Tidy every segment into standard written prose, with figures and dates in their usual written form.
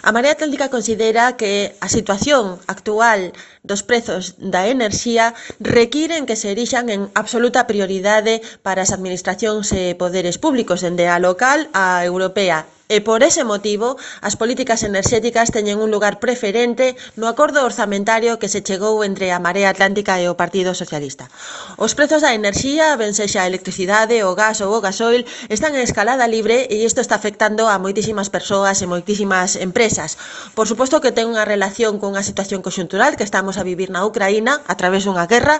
A Marea Atlántica considera que a situación actual dos prezos da enerxía requiren que se erixan en absoluta prioridade para as administracións e poderes públicos, dende a local á europea. E por ese motivo, as políticas enerxéticas teñen un lugar preferente no acordo orzamentario que se chegou entre a Marea Atlántica e o Partido Socialista. Os prezos da enerxía, ben sexa a electricidade, o gas ou o gasoil, están en escalada libre e isto está afectando a moitísimas persoas e moitísimas empresas. Por suposto que ten unha relación con a situación conxuntural que estamos a vivir na Ucraína a través dunha guerra,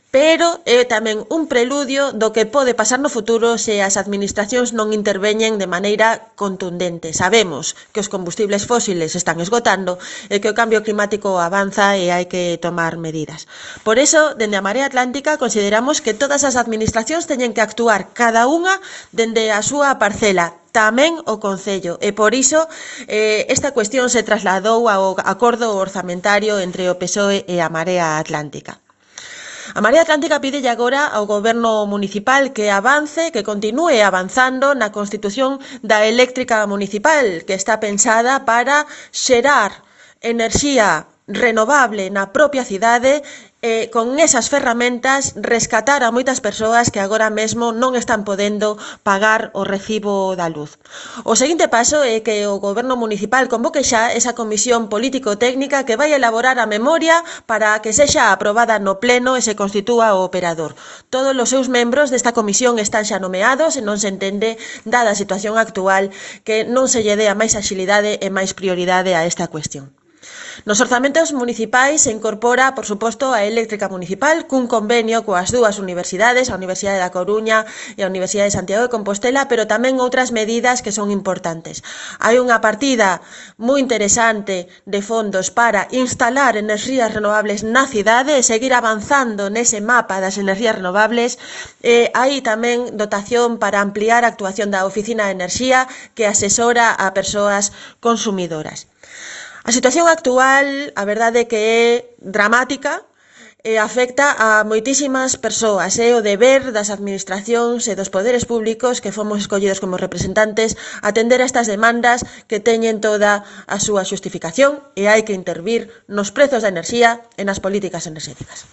pero é tamén un preludio do que pode pasar no futuro se as administracións non interveñen de maneira contundente. Sabemos que os combustibles fósiles están esgotando e que o cambio climático avanza e hai que tomar medidas. Por iso, dende a Marea Atlántica, consideramos que todas as administracións teñen que actuar cada unha dende a súa parcela, tamén o Concello, e por iso esta cuestión se trasladou ao acordo orzamentario entre o PSOE e a Marea Atlántica. A Marea Atlántica pídelle agora ao Goberno municipal que avance, que continúe avanzando na constitución da eléctrica municipal, que está pensada para xerar enerxía renovable na propia cidade e con esas ferramentas rescatar a moitas persoas que agora mesmo non están podendo pagar o recibo da luz. O seguinte paso é que o Goberno municipal convoque xa esa comisión político-técnica que vai elaborar a memoria para que sexa aprobada no pleno e se constitúa o operador. Todos os seus membros desta comisión están xa nomeados e non se entende, dada a situación actual, que non se lle dea máis axilidade e máis prioridade a esta cuestión. Nos orzamentos municipais se incorpora, por suposto, a eléctrica municipal cun convenio coas dúas universidades, a Universidade da Coruña e a Universidade de Santiago de Compostela, pero tamén outras medidas que son importantes. Hai unha partida moi interesante de fondos para instalar enerxías renovables na cidade e seguir avanzando nese mapa das enerxías renovables. Hai tamén dotación para ampliar a actuación da Oficina de Enerxía que asesora a persoas consumidoras. A situación actual, a verdade é que é dramática e afecta a moitísimas persoas. É o deber das administracións e dos poderes públicos que fomos escollidos como representantes atender a estas demandas que teñen toda a súa xustificación e hai que intervir nos prezos da enerxía e nas políticas enerxéticas.